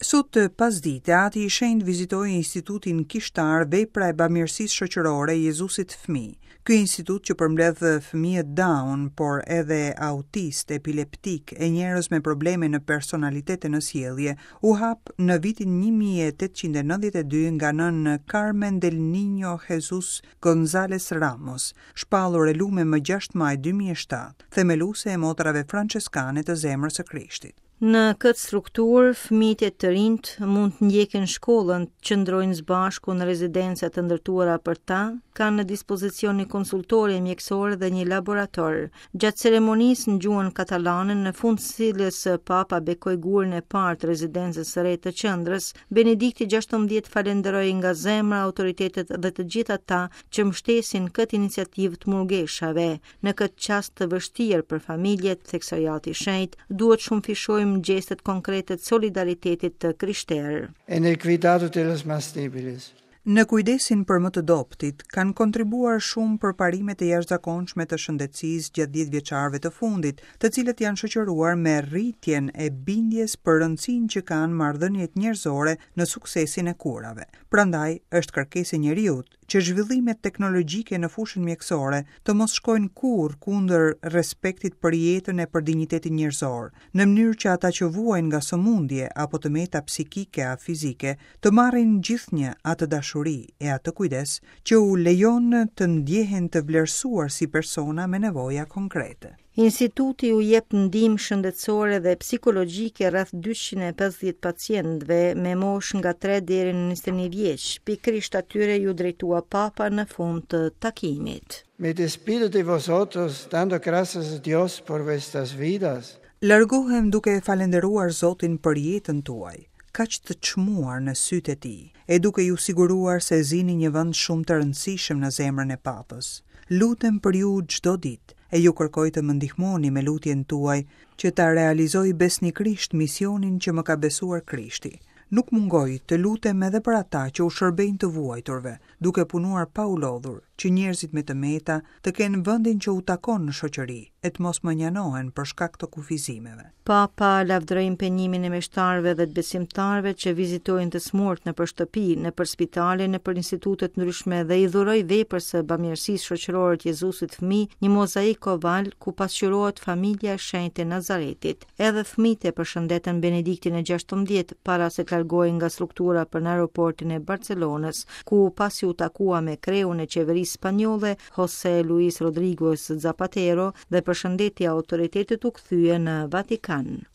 Sot pasdite, Ati i Shenjtë vizitoi Institutin Kishtar Vepra e Bamirësisë Shoqërore Jezusit Fëmijë. Ky institut që përmbledh fëmijët Down, por edhe autistë, epileptikë e njerëz me probleme në personalitet e në sjellje, u hap në vitin 1892 nga nënë Carmen del Niño Jesus González Ramos, shpallur e lume më 6 maj 2007, themeluese e motrave françeskane të Zemrës së Krishtit. Në këtë strukturë, fëmijët e të rinjtë mund të ndjekin shkollën, të qëndrojnë së bashku në rezidenca të ndërtuara për ta, kanë në dispozicion një konsultore mjekësore dhe një laborator. Gjatë ceremonisë në gjuhën katalane, në fund të cilës Papa bekoi gurin e parë të rezidencës së re të qendrës, Benedikti XVI falënderoi nga zemra autoritetet dhe të gjithë ata që mbështesin këtë iniciativë të murgeshave. Në këtë çast të vështirë për familjet, theksoi Ati i Shenjtë, duhet të shumëfishojmë gjestet konkrete të solidaritetit të krishterë. En el cuidado de los más débiles. Në kujdesin për më të dobëtit, kanë kontribuar shumë përparimet e jashtëzakonshme të shëndetësisë gjatë dhjetëvjeçarëve të fundit, të cilët janë shoqëruar me rritjen e bindjes për rëndësinë që kanë marrëdhëniet njerëzore në suksesin e kurave. Prandaj, është kërkesë e njeriut, që zhvillimet teknologjike në fushën mjekësore të mos shkojnë kurrë kundër respektit për jetën e për dinjitetin njerëzor, në mënyrë që ata që vuajnë nga sëmundje apo të meta psikike a fizike të marrin gjithnjë atë dashuri e atë kujdes që u lejon të ndjehen të vlerësuar si persona me nevoja konkrete. Instituti u jep ndihmë shëndetësore dhe psikologjike rreth 250 pacientëve me moshë nga 3 deri në 21 vjeç. Pikërisht atyre iu drejtua Papa në fund të takimit. Me despido de vosotros, dando gracias a Dios por vuestras vidas. Largohem duke e falënderuar Zotin për jetën tuaj, kaq të çmuar në sytë e Tij, e duke ju siguruar se zini një vend shumë të rëndësishëm në zemrën e Papës. Lutem për ju çdo ditë, e ju kërkoj të më ndihmoni me lutjen tuaj që ta realizoj besnikërisht misionin që më ka besuar Krishti. Nuk mungoj të lutem edhe për ata që u shërbejnë të vuajturve, duke punuar pa u lodhur, që njerëzit me të meta të kenë vendin që u takon në shoqëri e të mos mënjanohen për shkak të kufizimeve. Papa lavdëroi impenjimin e meshtarëve dhe të besimtarëve që vizitojnë të sëmurët nëpër shtëpi, nëpër spitale, nëpër institute të ndryshme dhe i dhuroi veprës së bamirësisë shoqërore të Jezusit fëmijë një mozaik oval ku pasqyrohet familja e shenjtë e Nazaretit. Edhe fëmijët e përshëndetën Benediktin e 16 para se të largohej nga struktura për në aeroportin e Barcelonës, ku pasi u takua me kreun e qeverisë spanjolle José Luis Rodríguez Zapatero dhe përshëndeti autoritetet u kthye në Vatikan.